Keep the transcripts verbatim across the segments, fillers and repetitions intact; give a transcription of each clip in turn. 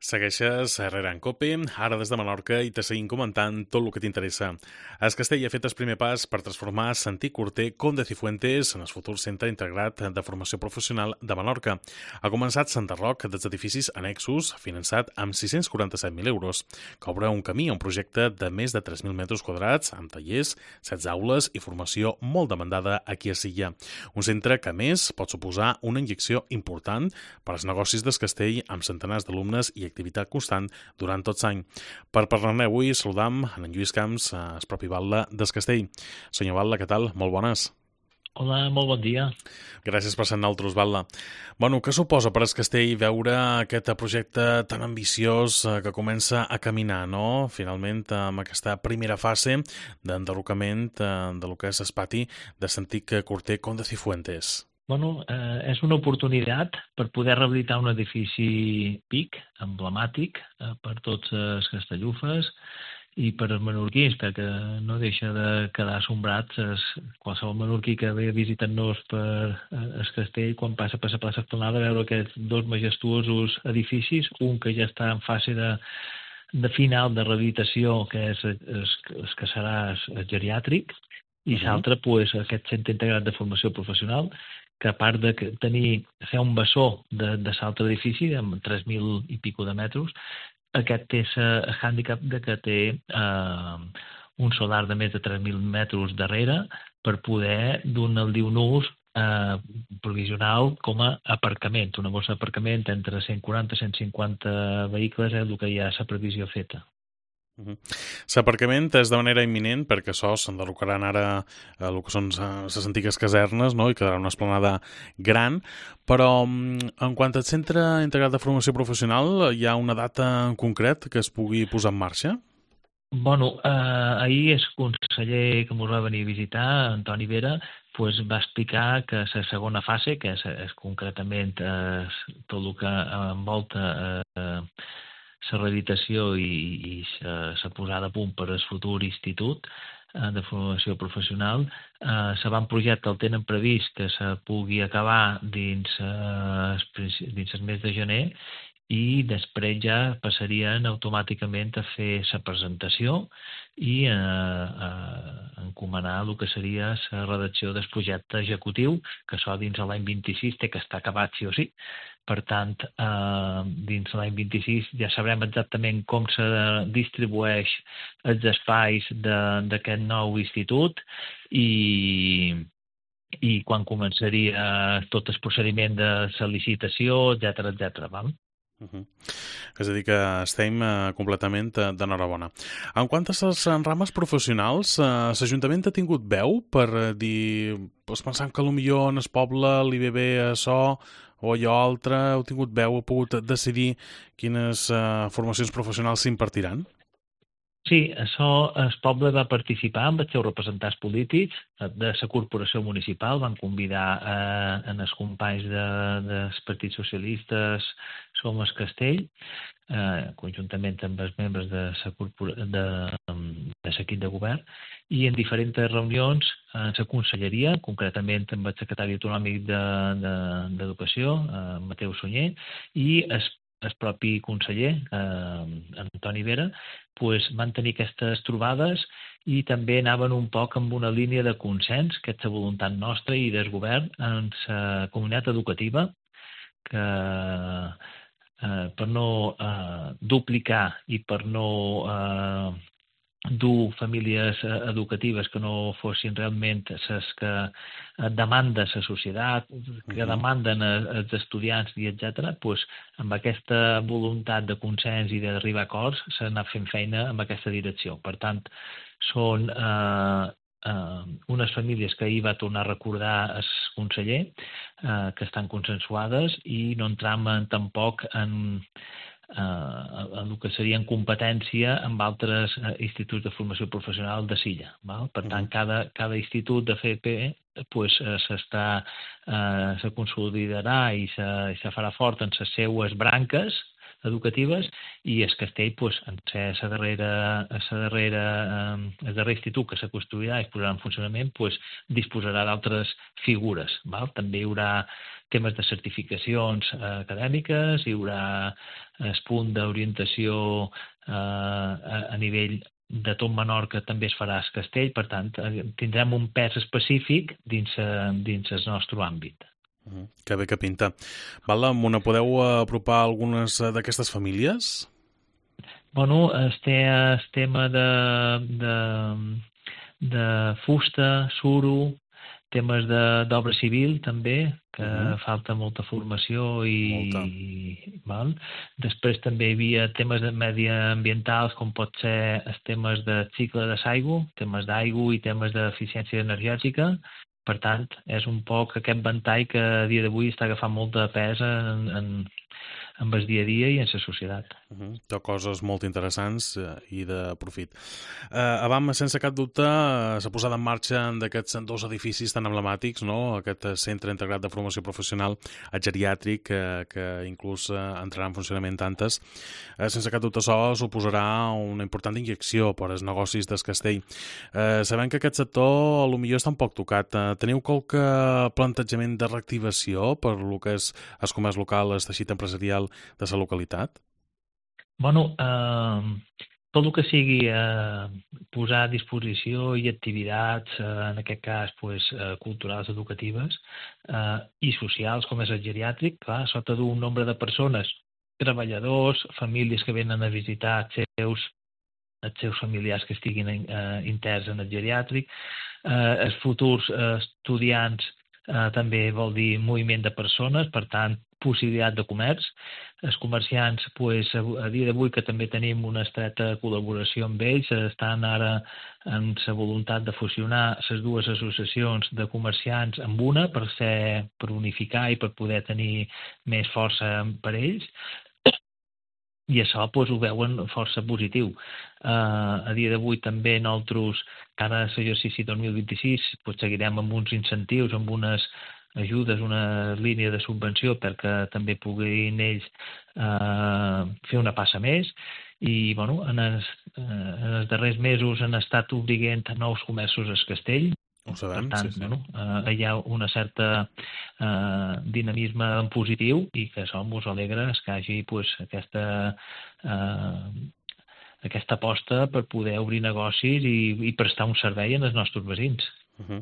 Segueixes Herrera en Cope, ara des de Menorca, i te seguim comentant tot el que t'interessa. Es Castell ha fet el primer pas per transformar Santí Corter Conde Cifuentes en el futur centre integrat de formació professional de Menorca. Ha començat Santa Roc dels edificis annexos, finançat amb sis-cents quaranta-set mil euros, que obre un camí a un projecte de més de tres mil metres quadrats, amb tallers, setze aules i formació molt demandada aquí a Silla. Un centre que, a més, pot suposar una injecció important per als negocis del Castell, amb centenars d'alumnes i activitat constant durant tot l'any. Per parlar-ne avui saludam en Lluís Camps, el propi batlle del Castell. Senyor batlle, què tal? Molt bones. Hola, molt bon dia. Gràcies per ser nosaltres, batlle. Bueno, què suposa per al Castell veure aquest projecte tan ambiciós que comença a caminar, no? Finalment, amb aquesta primera fase d'enderrocament de lo que és el pati de l'antic Corter Conde Cifuentes. Bueno, eh, és una oportunitat per poder rehabilitar un edifici P I C, emblemàtic, eh, per tots els castellufes i per als menorquins, perquè no deixa de quedar assombrats es, qualsevol menorquí que ve visitant-nos per el Castell, quan passa per la plaça Esplanada, veure aquests dos majestuosos edificis, un que ja està en fase de, de final de rehabilitació, que és el que serà el geriàtric, i l'altre, pues, aquest centre integrat de formació professional, que a part de tenir, fer un bessó de, de l'altre edifici, amb tres mil i pico de metres, aquest té el hàndicap de que té eh, un solar de més de tres mil metres darrere per poder donar el diu ús eh, provisional com a aparcament. Una bossa d'aparcament entre cent quaranta i cent cinquanta vehicles és el que hi ha la previsió feta. L'aparcament és de manera imminent perquè això s'enderrocaran ara el que són les antigues casernes, no? I quedarà una esplanada gran, però en quant al centre integrat de formació professional hi ha una data en concret que es pugui posar en marxa? Bueno, eh, ahir el conseller que ens va venir a visitar, Antoni Vera, pues, va explicar que la segona fase, que és, és concretament eh, tot el que envolta eh, la rehabilitació i, i la posada a punt per al futur institut eh, de formació professional, eh, l'avantprojecte el tenen previst que se pugui acabar dins, eh, dins el mes de gener i després ja passarien automàticament a fer la presentació i a, a encomanar el que seria la redacció del projecte executiu, que això dins l'any vint-i-sis té que estar acabat sí o sí. Per tant, eh, dins l'any vint-i-sis ja sabrem exactament com se distribueix els espais d'aquest nou institut i, i quan començaria tot el procediment de la licitació, etcètera, etcètera, val? Uh -huh. És a dir, que estem uh, completament uh, d'enhorabona. En quant a les rames professionals, uh, l'Ajuntament ha tingut veu per uh, dir, pues, pensant que potser en el poble li ve bé això o allò altre, heu tingut veu, heu pogut decidir quines uh, formacions professionals s'impartiran? Sí, això el poble va participar amb els seus representants polítics de la corporació municipal, van convidar eh, en els companys de, dels partits socialistes Som el Castell, eh, conjuntament amb els membres de l'equip de, de govern, i en diferents reunions en la conselleria, concretament amb el secretari autonòmic d'Educació, de, de, eh, Mateu Sunyer, i el el propi conseller, eh, Antoni Vera, pues, van tenir aquestes trobades i també anaven un poc amb una línia de consens, que és la voluntat nostra i del govern en la comunitat educativa, que eh, per no eh, duplicar i per no eh, dur famílies educatives que no fossin realment les que demanda la societat, que demanden els estudiants i etcètera, doncs amb aquesta voluntat de consens i d'arribar a acords s'ha anat fent feina en aquesta direcció. Per tant, són eh, eh, unes famílies que ahir va tornar a recordar el conseller, eh, que estan consensuades i no entram tampoc en Uh, el que seria en competència amb altres uh, instituts de formació professional de Silla. Val? Per tant, cada, cada institut de F P pues, uh, s'està, uh, se consolidarà i se, i se farà fort en les seues branques educatives, i el castell, pues, en ser la darrera, la darrera, eh, el darrer institut que se construirà i es posarà en funcionament, pues, disposarà d'altres figures. Val? També hi haurà temes de certificacions eh, acadèmiques, hi haurà el punt d'orientació eh, a, a nivell de tot Menorca també es farà el castell, per tant, tindrem un pes específic dins, dins el nostre àmbit. Uh-huh. Que bé que pinta. Val, m'ho podeu apropar algunes d'aquestes famílies? Bueno, es té el tema de, de, de fusta, suro, temes d'obra civil també, que uh-huh. falta molta formació i, i val? Després també hi havia temes mediambientals com pot ser els temes de cicle de l'aigua, temes d'aigua i temes d'eficiència energètica. Per tant, és un poc aquest ventall que a dia d'avui està agafant molta pes en, en, en el dia a dia i en la societat. Uh-huh. Tot coses molt interessants eh, i de profit. Eh, abans, sense cap dubte, eh, s'ha posat en marxa d'aquests dos edificis tan emblemàtics, no? Aquest centre integrat de formació professional geriàtric eh, que inclús eh, entrarà en funcionament tantes. Eh, sense cap dubte, això suposarà una important injecció per als negocis del castell. Eh, sabem que aquest sector potser està un poc tocat. Eh, teniu qualque plantejament de reactivació per lo que és el comerç local, el teixit empresarial de la localitat? Bueno, eh, tot el que sigui eh, posar a disposició i activitats, eh, en aquest cas pues, eh, culturals, educatives eh, i socials, com és el geriàtric, clar, sota d'un nombre de persones, treballadors, famílies que venen a visitar els seus, els seus familiars que estiguin eh, interns en el geriàtric, eh, els futurs eh, estudiants eh, també vol dir moviment de persones, per tant, possibilitat de comerç. Els comerciants, pues, a dia d'avui, que també tenim una estreta col·laboració amb ells, estan ara en la voluntat de fusionar les dues associacions de comerciants amb una per ser, per unificar i per poder tenir més força per ells. I això pues, ho veuen força positiu. Uh, a dia d'avui també nosaltres, cada l'exercici dos mil vint-i-sis, pues, seguirem amb uns incentius, amb unes ajudes, una línia de subvenció perquè també puguin ells eh, fer una passa més i bueno, en, els, eh, en els darrers mesos han estat obrint nous comerços al castell. Ho sabem, per tant, sí, sí. Bueno, eh, hi ha una certa eh, dinamisme en positiu i que això ens alegra que hi hagi pues, aquesta, eh, aquesta aposta per poder obrir negocis i, i prestar un servei als nostres veïns. Uh-huh.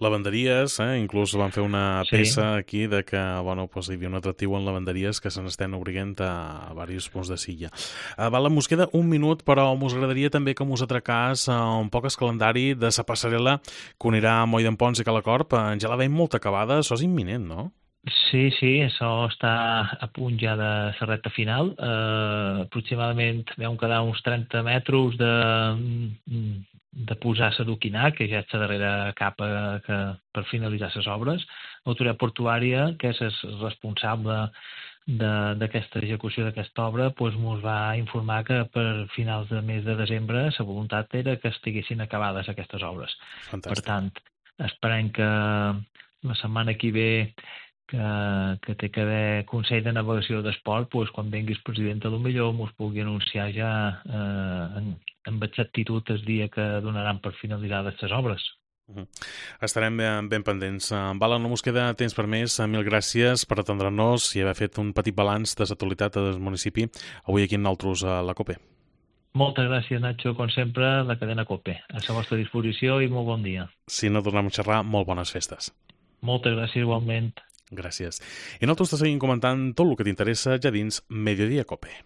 Lavanderies, eh? Inclús van fer una peça sí. aquí de que bueno, pues, hi havia un atractiu en lavanderies que se n'estan obrint a, a diversos punts de Silla. Uh, val, mos queda un minut, però mos agradaria també que mos atracàs uh, un poc el calendari de la passarel·la que unirà Moll d'en Pons i Calacorp. Uh, ja la veiem molt acabada, això és imminent, no? Sí, sí, això està a punt ja de la recta final. Uh, aproximadament vam quedar uns trenta metres de, de posar l'adoquinat, que ja és la darrera capa que, per finalitzar les obres. L'autoritat portuària, que és el responsable d'aquesta execució d'aquesta obra, doncs ens va informar que per finals de mes de desembre la voluntat era que estiguessin acabades aquestes obres. Fantàstic. Per tant, esperem que la setmana que ve que, que té que haver Consell de Navegació d'Esport, doncs, quan vengui el president, potser ens pugui anunciar ja eh, en, amb exactitud el dia que donaran per finalitzades les obres. Uh-huh. Estarem ben, ben pendents. Vala, no mos queda temps per més. Mil gràcies per atendre'ns i haver fet un petit balanç de l'actualitat del municipi avui aquí amb nosaltres a la COPE. Moltes gràcies, Nacho, com sempre, la cadena COPE. A la vostra disposició i molt bon dia. Si no tornem a xerrar, molt bones festes. Moltes gràcies igualment. Gràcies. I nosaltres te seguim comentant tot el que t'interessa ja dins Mediodía COPE.